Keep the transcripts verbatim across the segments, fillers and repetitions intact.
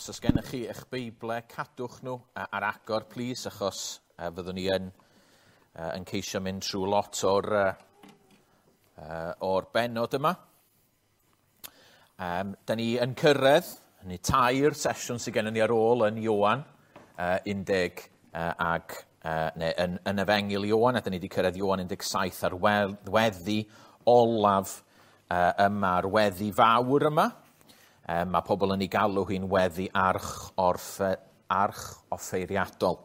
Os oes gennych chi eich Beible, cadwch nhw ar agor, plis, achos uh, fyddwn ni yn, uh, yn ceisio mynd trwy lot o'r, uh, uh, o'r bennod yma. Um, da ni yn cyrraedd, ni tair sesiwn sydd gennym ni ar ôl yn Ioan, uh, undeg uh, ag, uh, neu yn, yn Efengyl Ioan, a da ni wedi cyrraedd Ioan un deg saith ar weddi olaf uh, yma, ar weddi fawr yma. Um, mae pobl yn ei galw hi'n weddi arch, orffe, arch offeiriadol.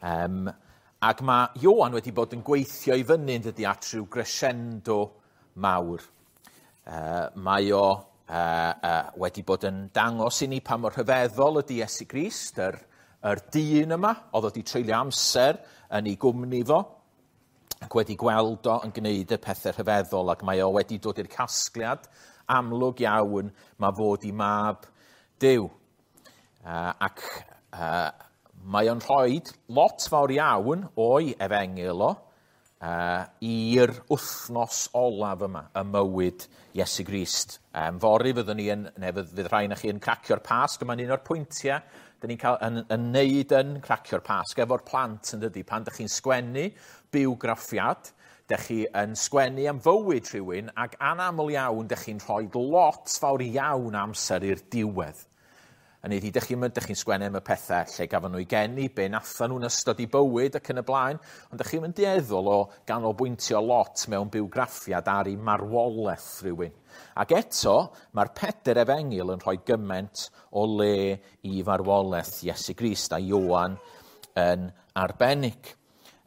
Um, ac mae Ioan wedi bod yn gweithio i fyny yn dydi at rhyw crescendo mawr. Uh, mae o uh, uh, wedi bod yn dangos i ni pa mor rhyfeddol ydy Iesu Grist, yr, yr dyn yma, oedd wedi treulio amser yn ei gwmni fo, ac wedi gweld o yn gwneud y pethau rhyfeddol, ac mae o wedi dod i'r casgliad amlwg iawn mae fod i mab Duw. Uh, ac uh, mae o'n rhoi lot fawr iawn o'i efengyl o uh, i'r wythnos olaf yma, y mywyd Iesu Grist. Um, fory fyddwn ni yn, neu fydd, fydd rhai na chi yn cracio'r Pasg, yma'n un o'r pwyntiau dyn ni'n cael yn, yn neud yn cracio'r Pasg efo'r plant yn dydi, pan dych chi'n sgwennu bywgraffiad, dych chi yn sgwennu am fywyd rhywun, ac anaml iawn dych chi'n rhoi lot fawr iawn amser i'r diwedd. Hynny ydi, dych chi'n dych chi'n sgwennu am y pethau lle gafon nhw i geni, be nathan nhw'n ystod i bywyd ac yn y blaen, ond dych chi'n mynd dueddol o ganolbwyntio lot mewn bywgraffiad ar ei marwolaeth rhywun. Ac eto, mae'r peder efengyl yn rhoi gymaint o le i farwolaeth Iesu Grist a Ioan yn arbennig.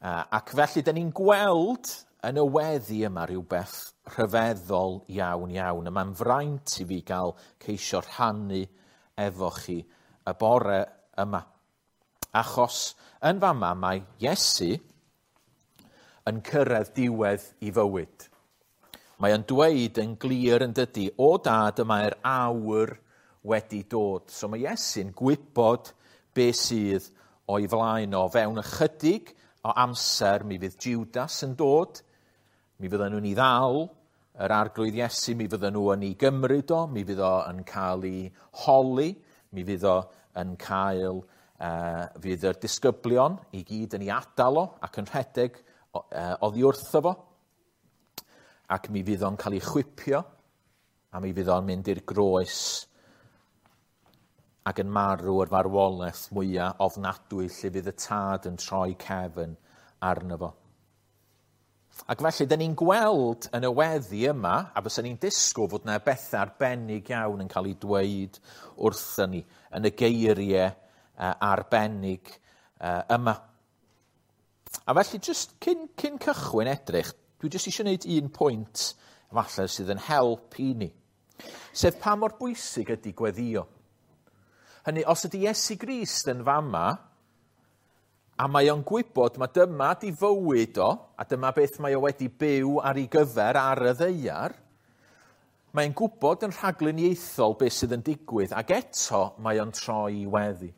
Ac felly, dyn ni'n gweld yn y weddi yma rhywbeth rhyfeddol iawn iawn. A mae'n fraint i fi gael ceisio rhannu efo chi y bore yma. Achos yn fama mae Iesu yn cyrraedd diwedd i fywyd. Mae o'n dweud yn glir yn dydi, o dad y mae'r awr wedi dod. So mae Iesu'n gwybod be sydd o'i flaen o. Fewn ychydig o amser mi fydd Judas yn dod, mi fydden nhw'n ei ddal, yr arglwydd Iesu, mi fydden nhw yn ei gymryd o, mi fydd o yn cael ei holi, mi fydd o yn cael, uh, fydd yr disgyblion i gyd yn ei adael o ac yn rhedeg uh, oddi wrtho fo, ac mi fydd o'n cael ei chwipio, a mi fydd o'n mynd i'r groes ac yn marw yr farwolaeth mwyaf ofnadwy lle fydd y tad yn troi cefn arno fo. Ac felly, dyn ni'n gweld yn y weddi yma, a fysa ni'n disgwyl fod yna bethau arbennig iawn yn cael ei dweud wrthyn ni, yn y geiriau uh, arbennig uh, yma. A felly, just cyn, cyn cychwyn edrych, dwi jyst eisiau gwneud un pwynt falle sydd yn help i ni. Sef pa mor bwysig ydy gweddio. Hynny, os ydy Iesu Grist yn fama, a mae o'n gwybod mae dyma di fywyd o, a dyma beth mae o wedi byw ar ei gyfer ar y ddaear, mae'n gwybod yn rhagluniaethol beth sydd yn digwydd, ac eto mae o'n troi i weddi.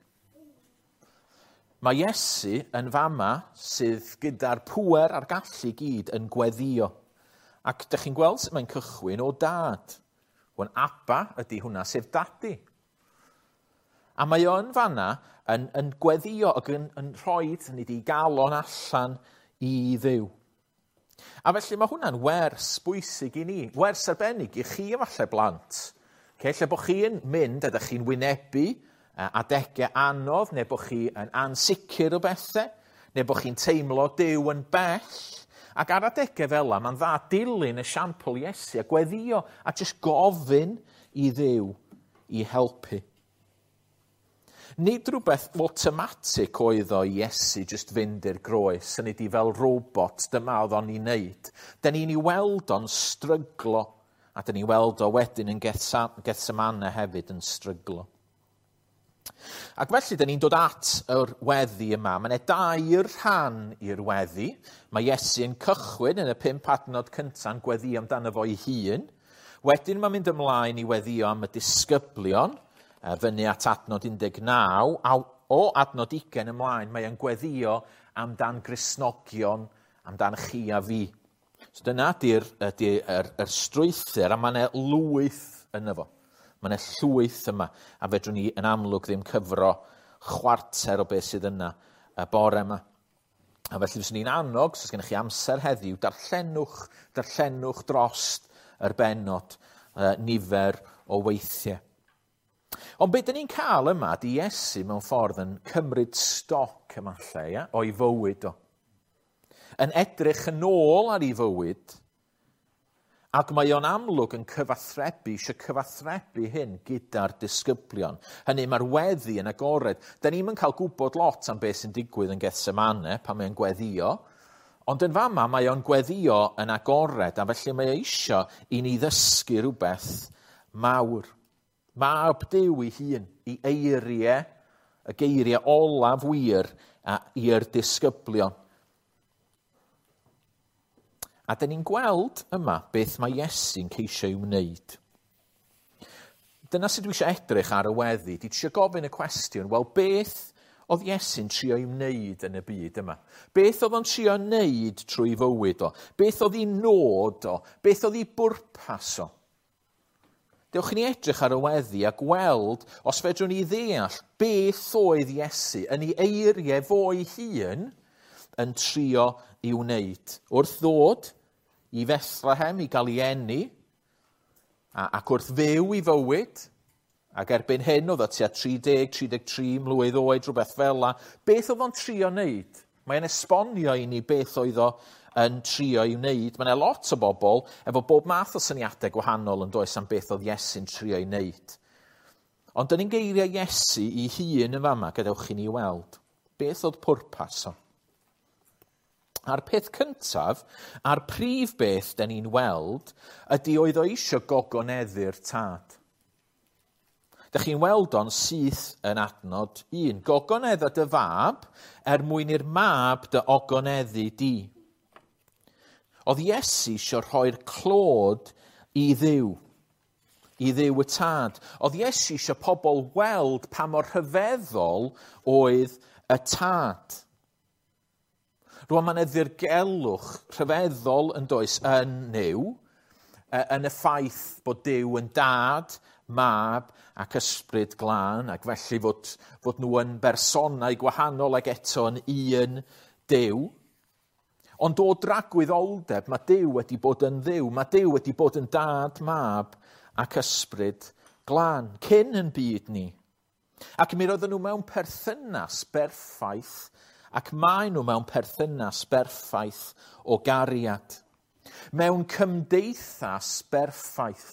Mae Iesu yn fama sydd gyda'r pŵer a'r gallu gyd yn gweddio. Ac dych chi'n gweld sut mae'n cychwyn o dad. Wan Abba ydy hwnna, sef dadi. A mae o yn fanna yn, yn gweddio ac yn, yn rhoi nid i galon allan i Dduw. A felly mae hwnna'n wers bwysig i ni, wers arbennig i chi efallai blant. Okay, lle bod chi'n mynd a ydych chi'n wynebu adegau anodd, neu bod chi yn ansicr o bethau, neu bod chi'n teimlo Duw yn bell. Ac ar adegau fel yna, mae'n dda dilyn esiampl Iesu a gweddio a jyst gofyn i Dduw i helpu. Nid rhywbeth automatic oedd o Iesu jyst fynd i'r groes, yn ydi fel robot, dyma oedd o'n ei wneud. Da ni'n ei weld o'n stryglo, a da ni'n weld o wedyn yn Gethsemane hefyd yn stryglo. Ac felly, da ni'n dod at yr weddi yma. Mae yna dair rhan i'r weddi. Mae Iesu yn cychwyn yn y pump adnod cynta'n gweddi amdano fo'i hun. Wedyn mae'n mynd ymlaen i weddio am y disgyblion, fyny at adnod un deg naw, a o adnod ugain ymlaen, mae o'n gweddio amdan Gristnogion, amdan chi a fi. So dyna ydy'r ydy, yr, yr strwythur, a mae yna lwyth yno fo. Mae yna llwyth yma, a fedrwn ni yn amlwg ddim cyfro chwarter o beth sydd yna y bore yma. A felly fyswn ni'n annog, os gennych chi amser heddiw, darllenwch, darllenwch drost yr bennod uh, nifer o weithiau. Ond beth dyn ni'n cael yma, di Iesu mewn ffordd yn cymryd stoc yma lle, ia, o'i fywyd o. Yn edrych yn ôl ar ei fywyd, ac mae o'n amlwg yn cyfathrebu, eisiau cyfathrebu hyn gyda'r disgyblion. Hynny, mae'r weddi yn agored. Da ni'm yn cael gwybod lot am beth sy'n digwydd yn Gethsemane pan mae'n gweddio, ond yn fama mae o'n gweddio yn agored, a felly mae o eisiau i ni ddysgu rhywbeth mawr. Mab Duw ei hun, i eiriau, y geiriau olaf wir i'r disgyblion. A dyn ni'n gweld yma beth mae Iesu'n ceisio ei wneud. Dyna sut dwi eisiau edrych ar y weddi. Dwi eisiau gofyn y cwestiwn, wel beth oedd Iesu'n trio ei wneud yn y byd yma? Beth oedd o'n trio wneud trwy fywyd o? Beth oedd ei nod o? Beth oedd ei bwrpas o? Dewch i ni edrych ar y weddi a gweld os fedrwn ni ddeall beth oedd Iesu yn ei eiriau fo'i hun yn trio i wneud. Wrth ddod i Bethlehem i gael ei eni, a, ac wrth fyw i fywyd, ac erbyn hyn oedd o tua tri deg, tri deg tri mlwydd oed, rhywbeth fel la, beth oedd o'n trio wneud? Mae'n esbonio i ni beth oedd o yn trio i wneud. Mae yna lot o bobl efo bob math o syniadau gwahanol yn does am beth oedd Iesu'n trio i wneud. Ond dyn ni'n geiriau Iesu i hun yn fama, gadewch i ni weld. Beth oedd pwrpas o? A'r peth cyntaf, a'r prif beth dyn ni'n weld, ydy oedd o eisiau gogoneddu'r tad. Dych chi'n weld o'n syth yn adnod un. Gogonedda dy fab er mwyn i'r mab dy ogoneddu di. Oedd Iesu eisiau rhoi'r clod i Dduw, i Dduw y tad. Oedd Iesu eisiau pobl weld pa mor rhyfeddol oedd y tad. Rwan mae'n ddirgelwch rhyfeddol yn does yn Nuw, yn y ffaith bod Duw yn dad, mab ac ysbryd glân, ac felly fod, fod nhw yn bersonau gwahanol ac eto yn un Duw. Ond o dragwyddoldeb, mae Duw wedi bod yn Dduw, mae Duw wedi bod yn dad, mab ac ysbryd glân, cyn yn byd ni. Ac mi roedden nhw mewn perthynas berffaith, ac maen nhw mewn perthynas berffaith o gariad, mewn cymdeithas berffaith,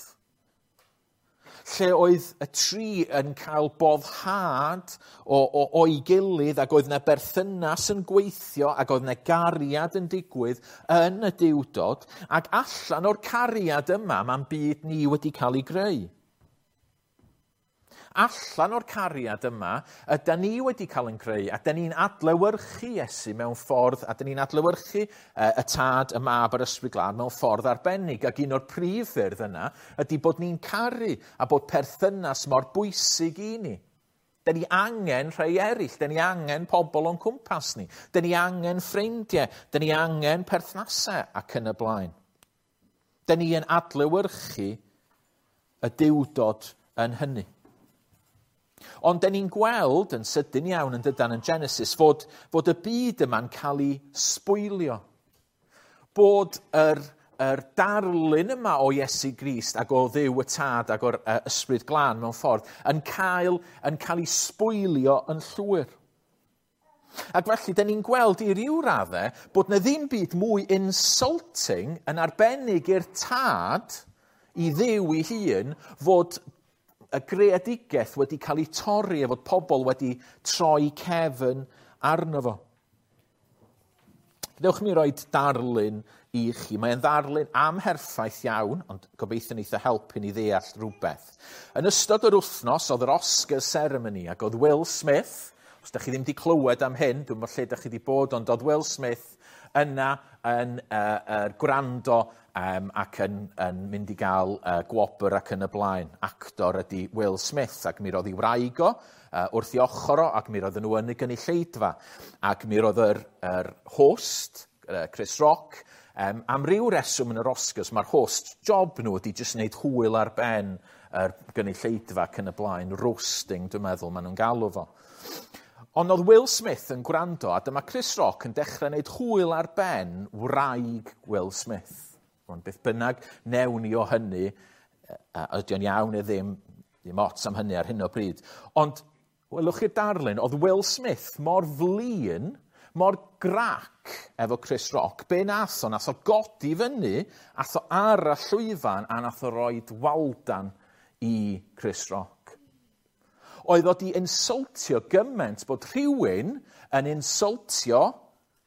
lle oedd y tri yn cael boddhad o, o, o'i gilydd, ac oedd yna berthynas yn gweithio, ac oedd yna gariad yn digwydd yn y Duwdod, ac allan o'r cariad yma mae'n byd ni wedi cael ei greu. Allan o'r cariad yma, ydy ni wedi cael yn creu, a dyn ni'n adlewyrchu Iesu mewn ffordd, a dyn ni'n adlewyrchu y tad, y mab a'r ysbryd glân mewn ffordd arbennig. Ac un o'r prif ffyrdd yna ydy bod ni'n caru a bod perthynas mor bwysig i ni. Dyn ni angen rhai eraill, dyn ni angen pobl o'n cwmpas ni, dyn ni angen ffrindiau, dyn ni angen perthnasau ac yn y blaen. Dyn ni yn adlewyrchu y Duwdod yn hynny. Ond dyn ni'n gweld yn sydyn iawn yn dydan yn Genesis fod, fod y byd yma'n cael ei sbwylio. Bod yr, yr darlun yma o Iesu Grist ac o Dduw y Tad ac o'r uh, Ysbryd Glân mewn ffordd yn cael, yn cael ei sbwylio yn llwyr. Ac felly, dyn ni'n gweld i ryw raddau bod na ddim byd mwy insulting yn arbennig i'r Tad, i Dduw ei hun, fod y greadigaeth wedi cael ei torri a fod pobl wedi troi cefn arno fo. Dewch mi roi darlun i chi. Mae'n ddarlun amherffaith iawn, ond gobeithio neith o helpu ni ddeall rhywbeth. Yn ystod yr wythnos oedd yr Oscar ceremony ac oedd Will Smith, os da chi ddim wedi clywed am hyn, dwi'n meddwl lle da chi wedi bod, ond oedd Will Smith yna yn uh, uh, gwrando um, ac yn, yn mynd i gael uh, gwobr ac yn y blaen. Actor ydy Will Smith, ac mi roedd ei wraig o uh, wrth ei ochr o, ac mi roedden nhw yn y gynulleidfa. Ac mi roedd yr, yr host, uh, Chris Rock, um, am ryw reswm yn yr Oscars, mae'r host job nhw ydy jyst wneud hwyl ar ben yr gynulleidfa ac yn y blaen, roasting, dwi'n meddwl, maen nhw'n galw fo. Ond oedd Will Smith yn gwrando, a dyma Chris Rock yn dechrau wneud hwyl ar ben wraig Will Smith. Ond beth bynnag newn ni o hynny, ydy o'n iawn neu ddim, ddim ots am hynny ar hyn o bryd. Ond, welwch chi'r darlun, oedd Will Smith mor flin, mor grac efo Chris Rock, be nath o, nath o godi fyny, ath o ar y llwyfan, a nath o roid waldan i Chris Rock. Oedd o di insultio gymaint bod rhywun yn insultio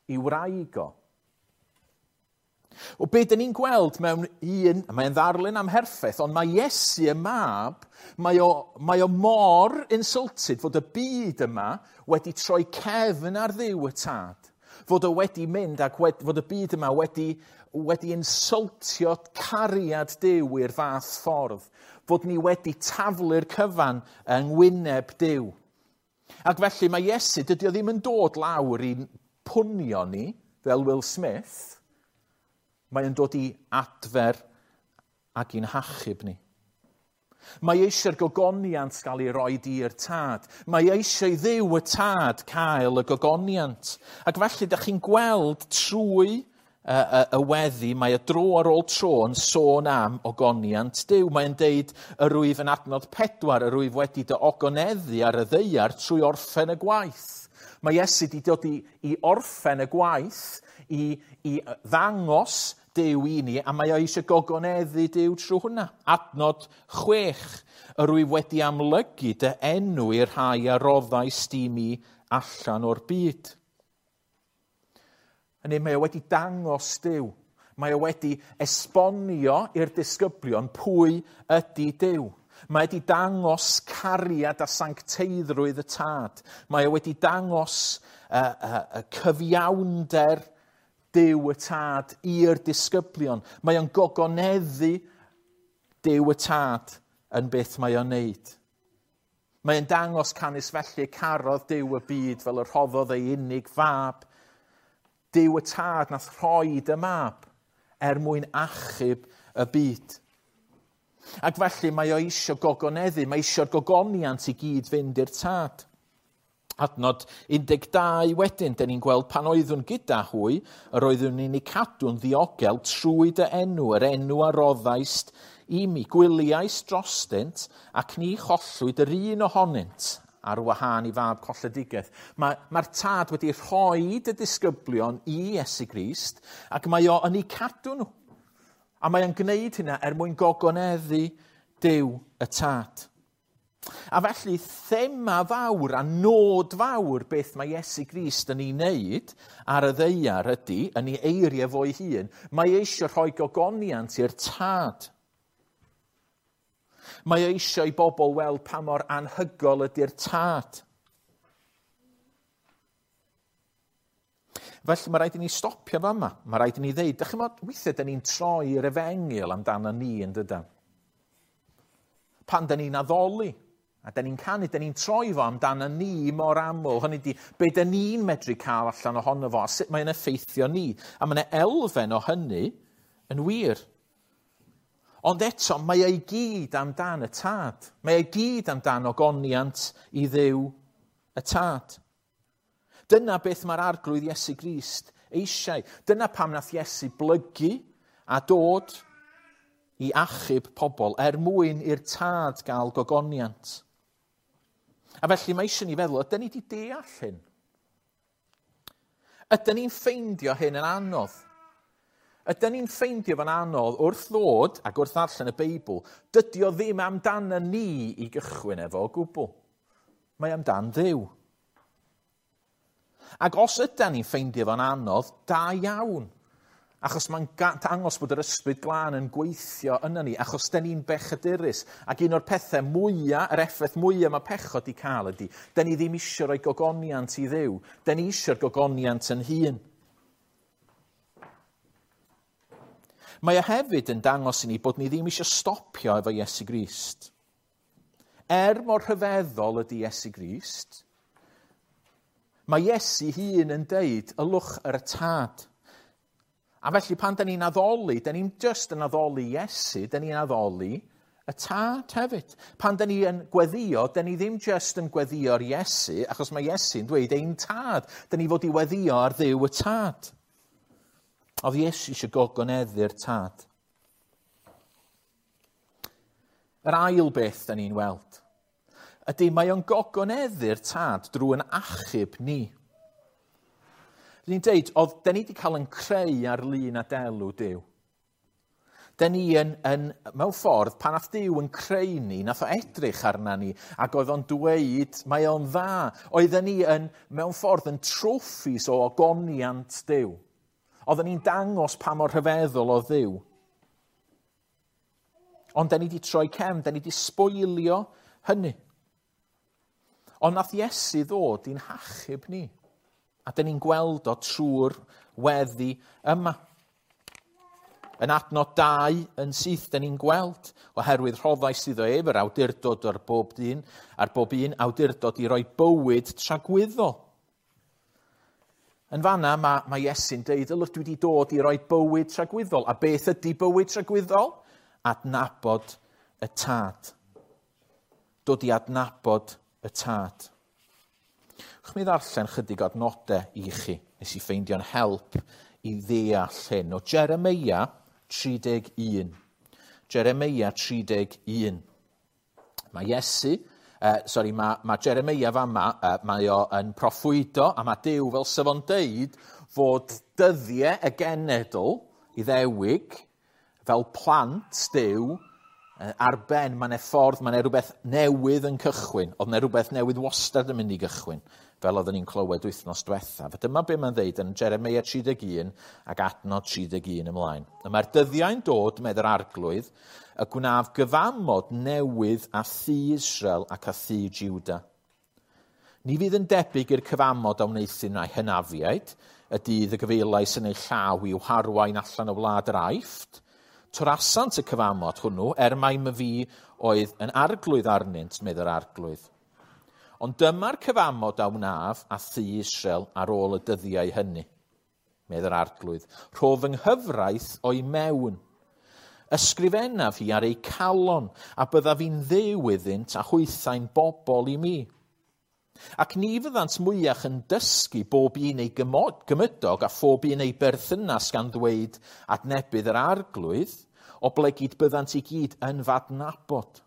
i wraig o. O be dyn ni'n gweld mewn un, mae'n ddarlun amherffaith, ond mae Iesu y mab, mae o, mae o mor insulted fod y byd yma wedi troi cefn ar Dduw y tad. Fod o wedi mynd ac wed, fod y byd yma wedi, wedi insultio cariad Duw i'r fath ffordd. Fod ni wedi taflu'r cyfan yng ngwyneb Duw. Ac felly mae Iesu, dydy o ddim yn dod lawr i'n pwnio ni, fel Will Smith. Mae yn dod i adfer ac i'n hachub ni. Mae eisiau'r gogoniant gael ei roi i'r tad. Mae eisiau i Dduw y tad cael y gogoniant. Ac felly, da chi'n gweld trwy y, y, y weddi, mae y dro ar ôl tro yn sôn am ogoniant Duw. Mae'n deud, yr wyf yn adnod pedwar, yr wyf wedi dy ogoneddu ar y ddaear trwy orffen y gwaith. Mae Iesu wedi dod i, i orffen y gwaith, i, i ddangos Duw i ni, a mae o eisiau gogoneddu Duw trwy hwnna. Adnod chwech, yr wyf wedi amlygu dy enw i'r rhai a roddaist i mi allan o'r byd. Hynny, mae o wedi dangos Duw. Mae o wedi esbonio i'r disgyblion pwy ydy Duw. Mae wedi dangos cariad a sancteiddrwydd y tad. Mae o wedi dangos uh, uh, uh, cyfiawnder Duw y tad i'r disgyblion. Mae o'n gogoneddu Duw y tad yn beth mae o'n neud. Mae o'n dangos canys felly carodd Duw y byd fel y rhoddodd ei unig fab. Duw y tad nath rhoid y mab er mwyn achub y byd. Ac felly mae o eisiau gogoneddu, mae eisiau'r gogoniant i gyd fynd i'r tad. Adnod un deg dau wedyn, dyn ni'n gweld pan oeddwn gyda hwy, yr oeddwn ni'n ei cadw'n ddiogel trwy dy enw, yr enw a roddaist i mi. Gwyliais drostynt ac ni chollwyd yr un ohonynt ar wahân i fab colledigaeth. Mae'r mae tad wedi rhoi y disgyblion i Iesu Grist ac mae o yn ei cadw nhw. A mae o'n gwneud hynna er mwyn gogoneddu Duw y tad. A felly, thema fawr a nod fawr beth mae Iesu Grist yn ei wneud ar y ddaear ydy, yn ei eiriau fo'i hun, mae eisiau rhoi gogoniant i'r tad. Mae eisiau i bobl weld pa mor anhygol ydy'r tad. Felly mae rhaid i ni stopio fa yma. Mae rhaid i ni ddeud, dych chi'n meddwl, weithiau dyn ni'n troi'r efengyl amdano ni yn dydan. Pan dyn ni'n addoli, a dyn ni'n canu, dyn ni'n troi fo amdano ni mor aml. Hynny di, be dyn ni'n medru cael allan ohono fo, a sut mae'n effeithio ni. A mae yna elfen o hynny yn wir. Ond eto, mae ei gyd amdan y tad. Mae ei gyd amdan ogoniant i Dduw y tad. Dyna beth mae'r arglwydd Iesu Grist eisiau. Dyna pam nath Iesu blygu a dod i achub pobl er mwyn i'r tad gael gogoniant. A felly mae eisiau ni feddwl, ydyn ni wedi deall hyn? Ydyn ni'n ffeindio hyn yn anodd? Ydyn ni'n ffeindio fo'n anodd wrth ddod ac wrth ddarllen y Beibl, dydy o ddim amdano ni i gychwyn efo o gwbl. Mae amdan Dduw. Ac os ydyn ni'n ffeindio fo'n anodd, da iawn. Achos mae'n dangos bod yr ysbryd glân yn gweithio yna ni, achos dyn ni'n bechadurus. Ac un o'r pethau mwyaf, yr effaith mwyaf mae pechod i cael ydy, dyn ni ddim eisiau rhoi gogoniant i Dduw. Dyn ni eisiau'r gogoniant yn hun. Mae o hefyd yn dangos i ni bod ni ddim eisiau stopio efo Iesu Grist. Er mor rhyfeddol ydy Iesu Grist, mae Iesu hun yn deud, ylwch yr tad. A felly pan da ni'n addoli, da ni'n just yn addoli Iesu, da ni'n addoli y Tad hefyd. Pan da ni yn gweddio, da ni ddim just yn gweddio ar Iesu, achos mae Iesu'n dweud ein Tad. Da ni fod i weddio ar Dduw y Tad. Oedd Iesu eisiau gogoneddu'r Tad. Yr ail beth da ni'n weld ydy mae o'n gogoneddu'r Tad drwy'n achub ni. Ni'n deud, oedd da ni wedi cael yn creu ar lun a delw Duw. Da ni yn, yn, mewn ffordd, pan nath Duw yn creu ni, nath o edrych arna ni, ac oedd o'n dweud, mae o'n dda. Oedden ni yn, mewn ffordd, yn troffis o ogoniant Duw. Oedden ni'n dangos pa mor rhyfeddol o Dduw. Ond da ni wedi troi cefn, da ni wedi sboilio hynny. Ond nath Iesu ddod i'n hachub ni. A da ni'n gweld o trwy'r weddi yma. Yn adnod dau yn syth, da ni'n gweld, oherwydd rhoddais iddo ef yr awdurdod ar bob dyn, ar bob un awdurdod i roi bywyd tragwyddol. Yn fanna mae, mae Iesu'n deud, ylwch dwi wedi dod i roi bywyd tragwyddol. A beth ydy bywyd tragwyddol? Adnabod y Tad. Dod i adnabod y Tad. Chw mi ddarllen chydig o adnodau i chi. Nes i ffeindio'n help i ddeall hyn. O Jeremeia tri deg un. Jeremeia tri deg un. Mae Iesu, uh, sorry, mae, mae Jeremeia fama, uh, mae o yn proffwydo, a mae Duw fel sef o'n deud fod dyddiau y genedl Iddewig fel plant Duw ar ben, mae yna ffordd, mae yna rhywbeth newydd yn cychwyn. Oedd yna rhywbeth newydd wastad yn mynd i gychwyn, fel oedden ni'n clywed wythnos diwethaf. A dyma be mae'n dweud yn Jeremeia tri deg un ac adnod tri deg un ymlaen. Y mae'r dyddiau'n dod, medd yr Arglwydd, y gwnaf gyfamod newydd â thŷ Israel ac â thŷ Juda. Ni fydd yn debyg i'r cyfamod a wneuthum â'u hynafiaid, y dydd y gyfeilais yn eu llaw i'w harwain allan o wlad yr Aifft. Torasant y cyfamod hwnnw, er mai myfi oedd yn arglwydd arnynt, medd yr Arglwydd. Ond dyma'r cyfamod a wnaf a thŷ Israel ar ôl y dyddiau hynny, medd yr Arglwydd. Rho fy nghyfraith o'i mewn. Ysgrifennaf hi ar eu calon, a byddaf i'n Dduw iddynt a hwythau'n bobl i mi. Ac ni fyddant mwyach yn dysgu bob un ei gymydog a phob un ei berthynas gan ddweud adnebydd yr Arglwydd, oblegid byddant i gyd yn fadnabod.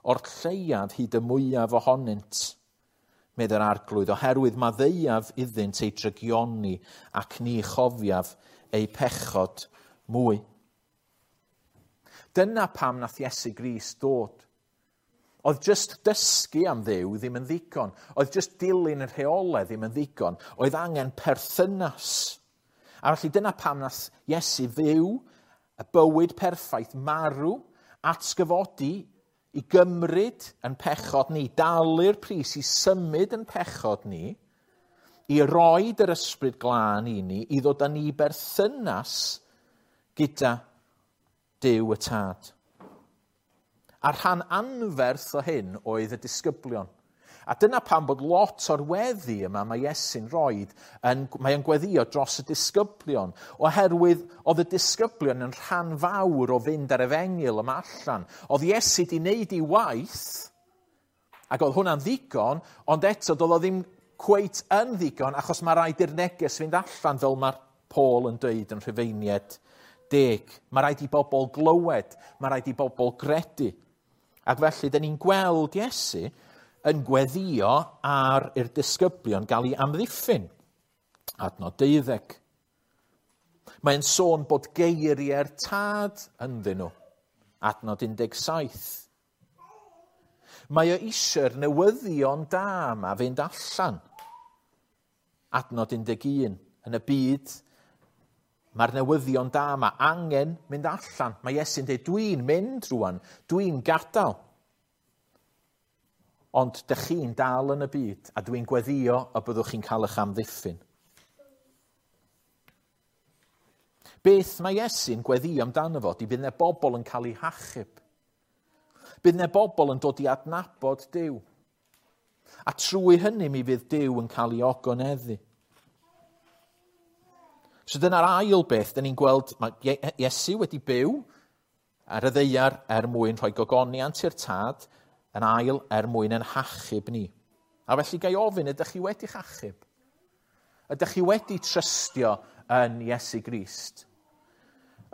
O'r lleiaf hyd y mwyaf ohonynt, medd yr Arglwydd, oherwydd maddeuaf iddynt eu drygioni ac ni chofiaf eu pechod mwy. Dyna pam nath Iesu Grist dod. Oedd just dysgu am Dduw ddim yn ddigon. Oedd just dilyn y rheolau ddim yn ddigon. Oedd angen perthynas. A felly dyna pam nath Iesu fyw y bywyd perffaith, marw, atgyfodi, i gymryd yn pechod ni, dalu'r pris i symud yn pechod ni, i roed yr ysbryd glân i ni, i ddod â ni berthynas gyda Duw y Tad. A rhan anferth o hyn oedd y disgyblion. A dyna pam bod lot o'r weddi yma mae Iesu'n roed, yn, mae o'n gweddio dros y disgyblion, oherwydd oedd y disgyblion yn rhan fawr o fynd ar efengyl yma allan. Oedd Iesu di wneud ei waith, ac oedd hwnna'n ddigon, ond eto doedd o ddim cweit yn ddigon, achos mae rhaid i'r neges fynd allan, fel mae Paul yn dweud yn Rhufeiniaid deg. Mae rhaid i bobl glywed, mae rhaid i bobl gredu. Ac felly, da ni'n gweld Iesu yn gweddio ar i'r disgyblion gael ei amddiffyn. Adnod deuddeg. Mae'n sôn bod geiriau'r Tad ynddyn nhw. Adnod un deg saith. Mae o eisiau'r newyddion da yma fynd allan. Adnod un deg un. Yn y byd, mae'r newyddion da yma angen mynd allan. Mae Iesu'n dweud, dwi'n mynd rwan, dwi'n gadael. Ond dych chi'n dal yn y byd, a dwi'n gweddio y byddwch chi'n cael eich amddiffyn. Beth mae Iesu'n gweddio amdano fo, di bydd yna bobl yn cael eu hachub. Bydd yna bobl yn dod i adnabod Duw. A trwy hynny mi fydd Duw yn cael ei ogoneddu. So dyna'r ail beth, dyn ni'n gweld, mae Iesu wedi byw ar y ddaear er mwyn rhoi gogoniant i'r Tad, yn ail er mwyn ein hachub ni. A felly gai ofyn, ydych chi wedi'ch achub? Ydych chi wedi trystio yn Iesu Grist?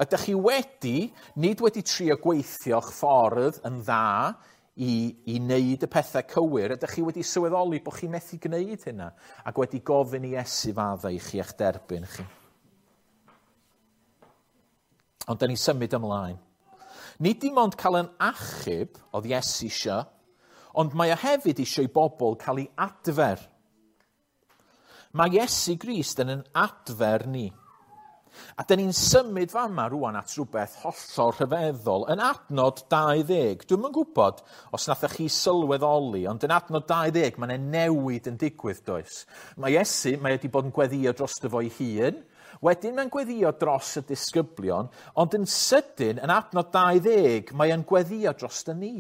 Ydych chi wedi, nid wedi trio gweithio'ch ffordd yn dda i, i wneud y pethau cywir, ydych chi wedi sylweddoli bod chi methu gwneud hynna ac wedi gofyn i Iesu faddau i chi a'ch derbyn chi? Ond da ni symud ymlaen. Nid dim ond cael yn achub oedd Iesu isio, ond mae o hefyd eisiau i bobl cael ei adfer. Mae Iesu Grist yn yn adfer ni. A dyn ni'n symud fama rwan at rhywbeth hollol rhyfeddol. Yn adnod dau ddeg, dwi'm yn gwybod os nathoch chi sylweddoli, ond yn adnod dau ddeg mae yna newid yn digwydd, does? Mae Iesu, mae wedi bod yn gweddio drosto fo'i hun, wedyn mae'n gweddio dros y disgyblion, ond yn sydyn, yn adnod dau ddeg, mae o'n gweddio dros y ni.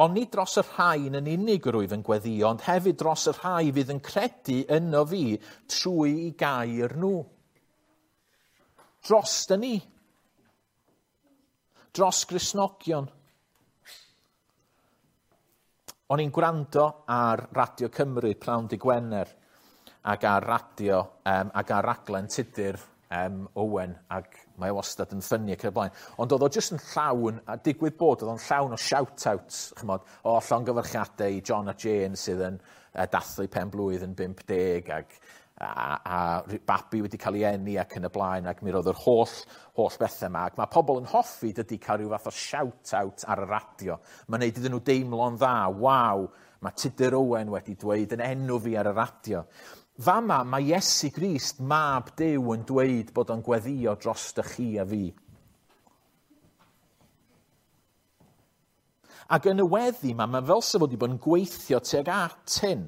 Ond nid dros y rhain yn unig yr wyf yn gweddio, ond hefyd dros y rhai fydd yn credu yno fi trwy i gair nhw. Dros y ni. Dros Gristnogion. O'n i'n gwrando ar Radio Cymru pnawn dy Gwener ac ar radio um, ac ar raglen Tudur um, Owen, ac mae o wastad yn ffynnu ac yn y blaen. Ond oedd o jyst yn llawn, a digwydd bod, oedd o'n llawn o shout-outs, chymod, o llongyfarchiadau i John a Jane sydd yn uh, dathlu pen blwydd yn bump deg, ac a, a, a babi wedi cael ei eni ac yn y blaen, ac mi roedd yr holl, holl bethau yma. Ac mae pobl yn hoffi dydy cael rhyw fath o shout-out ar y radio. Mae'n neud iddyn nhw deimlo'n dda, waw, mae Tudur Owen wedi dweud yn enw fi ar y radio. Fama, mae Iesu Grist, mab Duw, yn dweud bod o'n gweddio dros dy chi a fi. Ac yn y weddi yma, mae fel sef wedi bod yn gweithio tuag at hyn.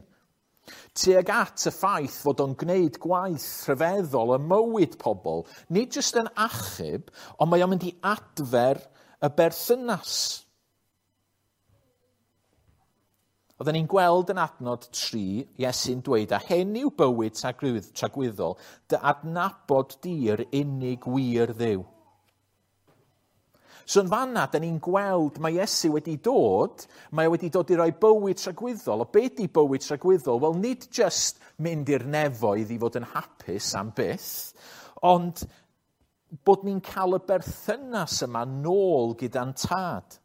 Tuag at y ffaith fod o'n gwneud gwaith rhyfeddol ym mywyd pobl, nid jyst yn achub, ond mae o'n mynd i adfer y berthynas. Oedden ni'n gweld yn adnod tri, Iesu'n dweud, a hyn yw bywyd tragwyddol, dy adnabod di'r unig wir Dduw. So yn fanna, da ni'n gweld mae Iesu wedi dod, mae o wedi dod i roi bywyd tragwyddol. O be di bywyd tragwyddol? Wel, nid just mynd i'r nefoedd i fod yn hapus am byth, ond bod ni'n cael y berthynas yma nôl gyda'n tad.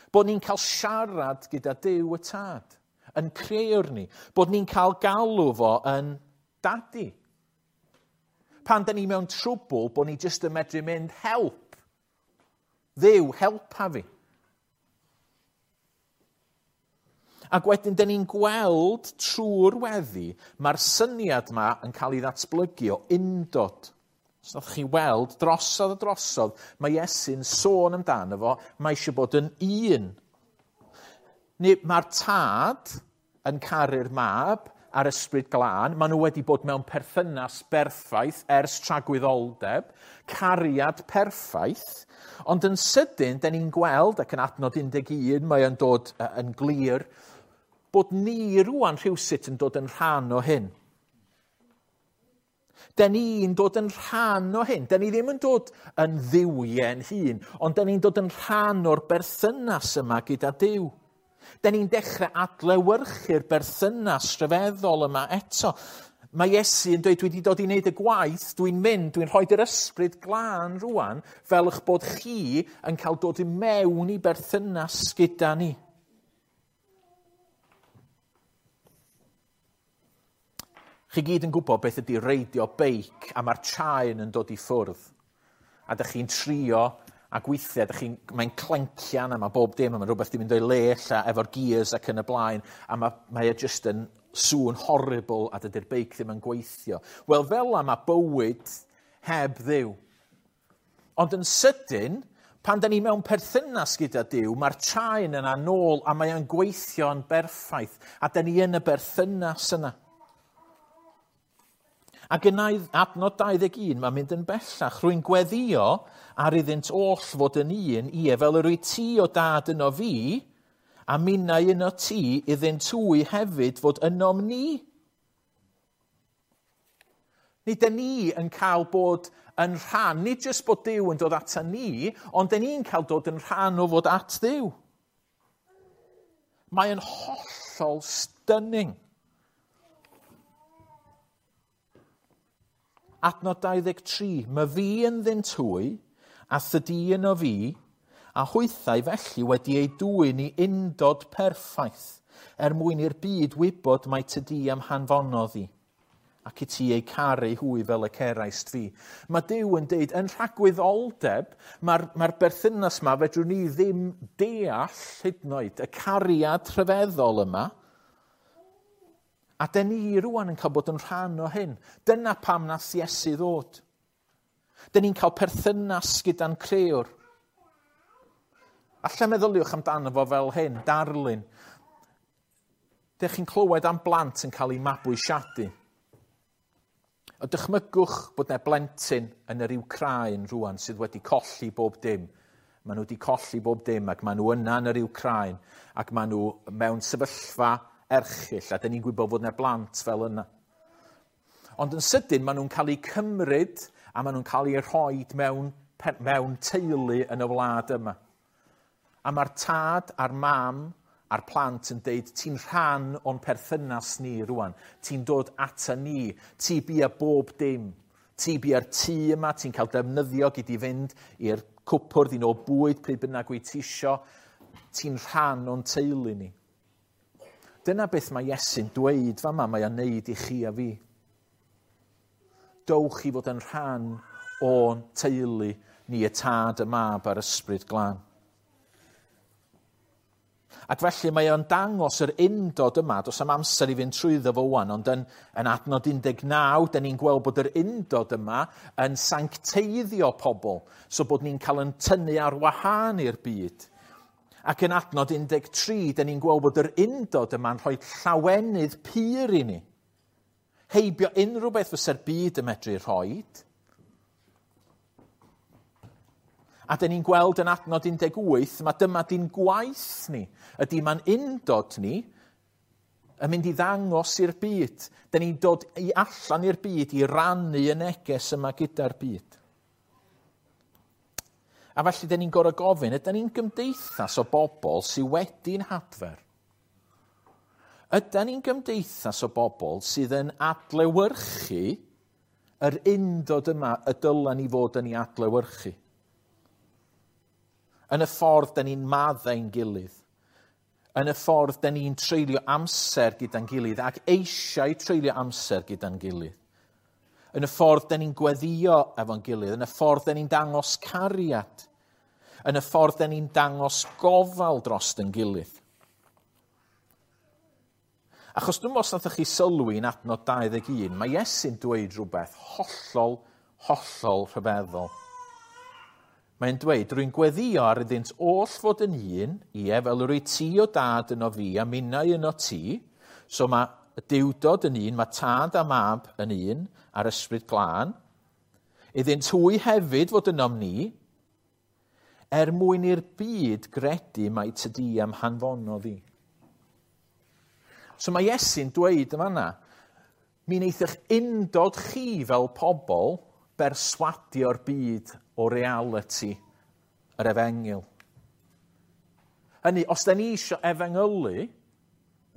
Bod ni'n cael siarad gyda Duw y Tad, yn creuwr ni. Bod ni'n cael galw fo yn dadi. Pan da ni mewn trwbl, bod ni jyst yn medru mynd, help. Dduw, helpa fi. Ac wedyn, da ni'n gweld trwy'r weddi, mae'r syniad yma yn cael ei ddatblygu o undod. Os nath chi weld, drosodd a drosodd, mae Iesu'n sôn amdano fo, mae eisiau bod yn un. Mae'r tad yn caru'r mab a'r ysbryd glân, maen nhw wedi bod mewn perthynas berffaith ers tragwyddoldeb, cariad perffaith, ond yn sydyn, da ni'n gweld, ac yn adnod un deg un, mae o'n dod yn glir, bod ni rwan rhywsut yn dod yn rhan o hyn. Da ni'n dod yn rhan o hyn. Da ni ddim yn dod yn dduwiau'n hun, ond da ni'n dod yn rhan o'r berthynas yma gyda Duw. Da ni'n dechrau adlewyrchu'r berthynas rhyfeddol yma eto. Mae Iesu yn dweud, dwi wedi dod i wneud y gwaith, dwi'n mynd, dwi'n rhoi yr ysbryd glân rwan, fel eich bod chi yn cael dod i mewn i berthynas gyda ni. Chi gyd yn gwybod beth ydy reidio beic a mae'r chain yn dod i ffwrdd. A dych chi'n trio a gweithiau, dych chi'n, mae'n clencian a mae bob dim, a mae rhywbeth di mynd o'i le ella efo'r gears ac yn y blaen, a mae, mae e jyst yn sŵn horrible a dydy'r beic ddim yn gweithio. Wel, fel la mae bywyd heb Dduw. Ond yn sydyn, pan da ni mewn perthynas gyda Duw, mae'r chain yna nôl a mae o'n gweithio'n berffaith, a da ni yn y berthynas yna. Ac yn adnod dau ddeg un, mae'n mynd yn bellach. Rwy'n gweddio ar iddynt oll fod yn un, ie, fel yr wyt ti o dad yno fi, a minnau yno ti, iddynt hwy hefyd fod ynom ni. Nid dyn ni yn cael bod yn rhan, nid jyst bod Duw yn dod ata ni, ond dyn ni'n cael dod yn rhan o fod at Dduw. Mae yn hollol stunning. Adnod dau ddeg tri, mae fi ynddynt hwy, a thydi yno fi, a hwythau felly wedi ei dwyn i undod perffaith, er mwyn i'r byd wybod mai tydi am hanfonodd i, ac i ti eu caru hwy fel y ceraist fi. Mae Duw yn deud, yn rhagwyddoldeb, mae'r mae berthynas yma fedrwn ni ddim deall hyd yn oed y cariad rhyfeddol yma, a dyn ni rwan yn cael bod yn rhan o hyn. Dyna pam nath Iesu ddod. Dyn ni'n cael perthynas gyda'n crëwr. Alla meddyliwch amdano fo fel hyn, darlun. Dych chi'n clywed am blant yn cael eu mabwysiadu. A dychmygwch bod yna blentyn yn yr Wcráin rwan sydd wedi colli bob dim. Maen nhw wedi colli bob dim ac maen nhw yna yn yr Wcráin ac maen nhw mewn sefyllfa erchyll a dyn ni'n gwybod fod yna blant fel yna. Ond yn sydyn maen nhw'n cael eu cymryd a maen nhw'n cael eu rhoi mewn, mewn teulu yn y wlad yma. A mae'r tad a'r mam a'r plant yn deud, ti'n rhan o'n perthynas ni rwan. Ti'n dod ata ni. Ti bia bob dim. Ti bia'r tŷ yma, ti'n cael defnyddio gyd i fynd i'r cwpwrdd i nôl bwyd pryd bynnag wyt ti isio. Ti'n rhan o'n teulu ni. Dyna beth mae Iesu'n dweud fama, mae o'n neud i chi a fi. Dowch i fod yn rhan o'n teulu ni, y tad, y mab a'r ysbryd glân. Ac felly mae o'n dangos yr undod yma, does am amser i fynd trwyddo fo wan, ond yn, yn adnod un deg naw, dyn ni'n gweld bod yr undod yma yn sancteiddio pobl, so bod ni'n cael yn tynnu ar wahân i'r byd. Ac yn adnod un deg tri, dyn ni'n gweld bod yr undod yma'n rhoi llawenydd pur i ni. Heibio unrhyw beth fysa'r byd yn medru rhoid. A dyn ni'n gweld yn adnod un deg wyth, mae dyma di'n gwaith ni. Ydy mae'n undod ni yn mynd i ddangos i'r byd. Dyn ni'n dod i allan i'r byd i rannu y neges yma gyda'r byd. A felly dyn ni'n gorfod gofyn, ydyn ni'n gymdeithas o bobl sydd wedi'n hadfer? Ydyn ni'n gymdeithas o bobl sydd yn adlewyrchu yr undod yma y dylen ni fod yn ei adlewyrchu? Yn y ffordd dyn ni'n maddau'n gilydd. Yn y ffordd dyn ni'n treulio amser gyda'n gilydd ac eisiau treulio amser gyda'n gilydd. Yn y ffordd dyn ni'n gweddio efo'n gilydd. Yn y ffordd dyn ni'n dangos cariad. Yn y ffordd dyn ni'n dangos gofal dros yn gilydd. Achos dwi'n meddwl os nathoch chi sylwi yn adnod dau ddeg un, mae Iesu'n dweud rhywbeth hollol, hollol rhyfeddol. Mae'n dweud, rwy'n gweddio ar iddynt oll fod yn un, ie, fel yr wyt ti o dad yno fi a minnau yno ti. So mae y Duwdod yn un, mae tad a mab yn un, a'r ysbryd glân. Iddynt hwy hefyd fod ynom ni, er mwyn i'r byd gredu mai tydi am hanfonodd i. So mae Iesu'n dweud yma yna, mi wneith eich undod chi fel pobl berswadio'r byd o realiti yr efengyl. Hynny, os da ni eisiau efengylu,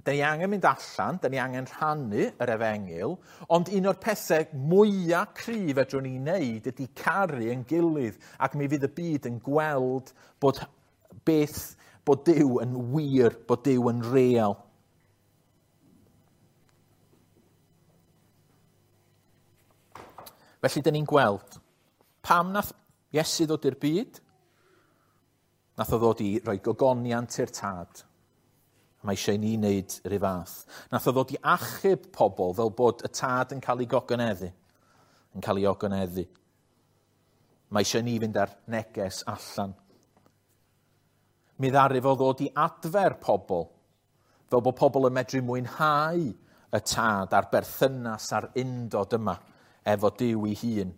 da ni angen mynd allan, da ni angen rhannu yr efengyl, ond un o'r pethau mwyaf cryf fedrwn ni wneud ydy caru yn gilydd, ac mi fydd y byd yn gweld bod beth, bod Duw yn wir, bod Duw yn real. Felly, dyn ni'n gweld pam nath Iesu ddod i'r byd? Nath o ddod i roi gogoniant i'r tad. Mae eisiau ni wneud yr un fath. Nath o ddod i achub pobl fel bod y tad yn cael ei gogoneddu. Yn cael ei ogoneddu. Mae eisiau ni fynd ar neges allan. Mi ddaru fo ddod i adfer pobl, fel bod pobl yn medru mwynhau y tad a'r berthynas a'r undod yma efo Duw ei hun.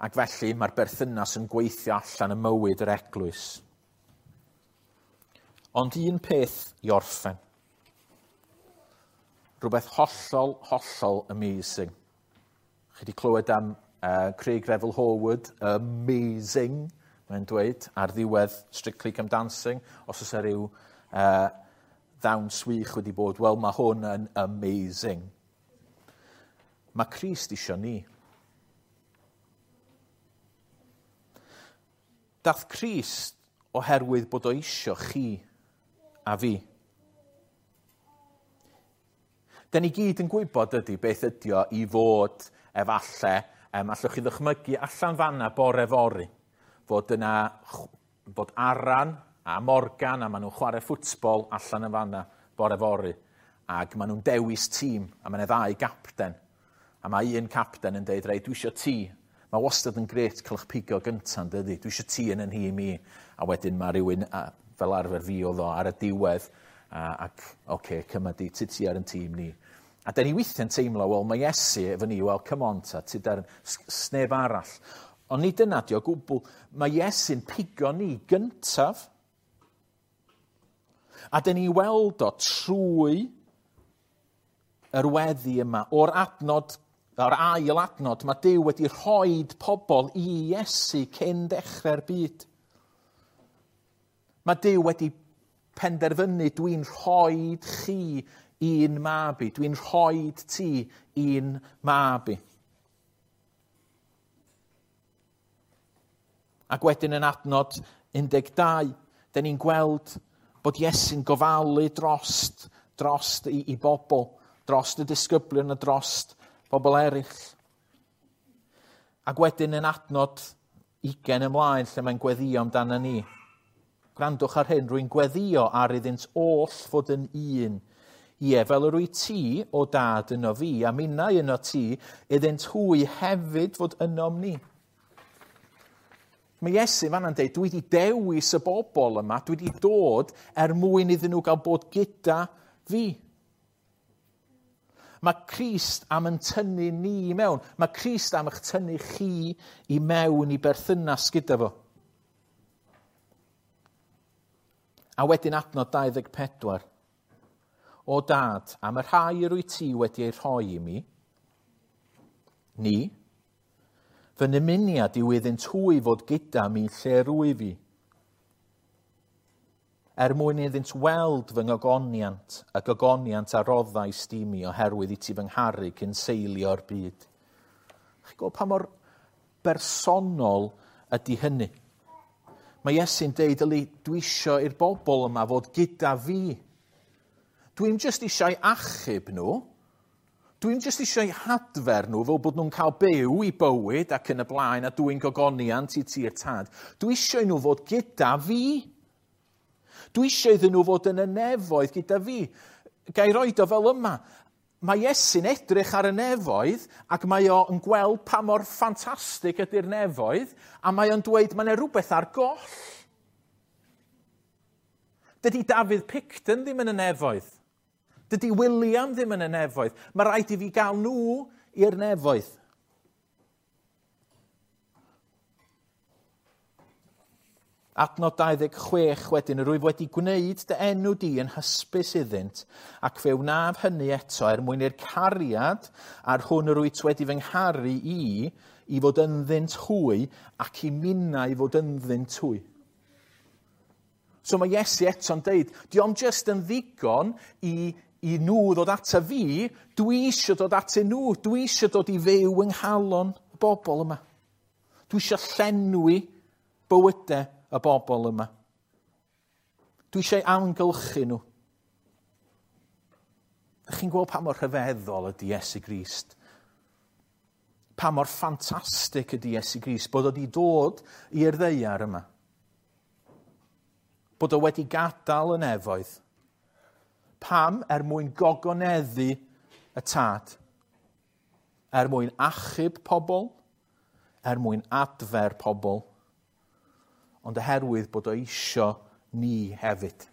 Ac felly mae'r berthynas yn gweithio allan y mywyd yr eglwys. Ond un peth i orffen. Rhywbeth hollol, hollol amazing. Chi wedi clywed am uh, Craig Revel Horwood, amazing, mae'n dweud, ar ddiwedd Strictly Come Dancing. Os oes rhyw uh, ddawns wych wedi bod, wel, mae hwn yn amazing. Mae Crist isio ni. Dath Crist oherwydd bod o isio chi a fi. Da ni gyd yn gwybod ydy beth ydy o i fod efalle, um, allwch chi ddychmygu allan fanna bore fory, fod yna, fod Aran a Morgan a maen nhw'n chwarae ffwtbol allan yn fanna bore fory, ac maen nhw'n dewis tîm, a maen nhw ddau gapten. A mae un capten yn deud, rei, dwi isio ti. Mae wastad yn grêt cael eich pigo gyntaf, dydy. Dwi isio ti yn yn nhîm i. A wedyn mae rhywun, a, fel arfer fi oedd o, ar y diwedd, a, ac, oce, okay, cyma di, ti ti ar yn tîm ni. A da ni weithiau'n teimlo, wel, mae Iesu efo ni, wel, come on ta, ti dar, sneb arall. Ond nid dyna di o gwbl. Mae Iesu'n pigo ni gyntaf. A da ni weld o trwy yr weddi yma, o'r adnod, o'r ail adnod, mae Duw wedi rhoi pobl i Iesu cyn dechrau'r byd. Mae Duw wedi penderfynu, dwi'n rhoi chi un mab i, dwi'n rhoi ti un mab i. Ac wedyn yn adnod un deg dau, da ni'n gweld bod Iesu'n gofalu drost, drost i, i bobl, drost y disgyblion a drost bobl eraill. Ac wedyn yn adnod ugain ymlaen lle mae'n gweddio amdano ni. Gwrandwch ar hyn, rwy'n gweddio ar iddynt oll fod yn un. Ie, fel yr wyt ti, o dad, yno fi, a minnau yno ti, iddynt hwy hefyd fod ynom ni. Mae Iesu fanna'n deud, dwi wedi dewis y bobl yma, dwi wedi dod er mwyn iddyn nhw gael bod gyda fi. Mae Crist am yn tynnu ni i mewn. Mae Crist am eich tynnu chi i mewn i berthynas gyda fo. A wedyn adnod dau ddeg pedwar. O dad, am y rhai yr wyt ti wedi ei rhoi i mi, ni, fy nymuniad yw iddynt hwy fod gyda mi lle rwyf fi, er mwyn iddynt weld fy ngogoniant, y gogoniant a roddais di mi oherwydd i ti fy ngharu cyn seilio'r byd. Chi'n gweld pa mor bersonol ydy hynny? Mae Iesu'n deud, yli, dwi isio i'r bobl yma fod gyda fi. Dwi'n jyst eisiau achub nhw. Dwi'n jyst eisiau hadfer nhw fel bod nhw'n cael byw i bywyd ac yn y blaen a dwi'n gogoniant i ti'r tad. Dwi eisiau nhw fod gyda fi. Dwi eisiau iddyn nhw fod yn y nefoedd gyda fi. Ga i roed o fel yma. Mae Iesu'n edrych ar y nefoedd ac mae o'n gweld pa mor ffantastig ydy'r nefoedd a mae o'n dweud mae yna rhywbeth ar goll. Dydy Dafydd Picton ddim yn y nefoedd. Dydy William ddim yn y nefoedd. Mae rhaid i fi gael nhw i'r nefoedd. Adnod dau ddeg chwech wedyn, rwyf wedi gwneud dy enw di yn hysbys iddynt, ac fe wnaf hynny eto er mwyn i'r cariad a'r hwn yr wyt wedi fy ngharu i, i fod ynddynt hwy, ac i minnau fod ynddynt hwy. So mae Iesu eto'n deud, dio'm jyst yn ddigon i, i nhw ddod ata fi, dwi eisiau dod atyn nhw, dwi eisiau dod i fyw yng nghalon y bobl yma. Dwi eisiau llenwi bywydau y bobl yma. Dwi eisiau amgylchu nhw. Ydych chi'n gweld pa mor rhyfeddol ydy Iesu Grist? Pa mor ffantastig ydy Iesu Grist bod o wedi dod i'r ddaear yma. Bod o wedi gadael y nefoedd. Pam? Er mwyn gogoneddu y tad. Er mwyn achub pobl, er mwyn adfer pobl, ond oherwydd bod o isio ni hefyd.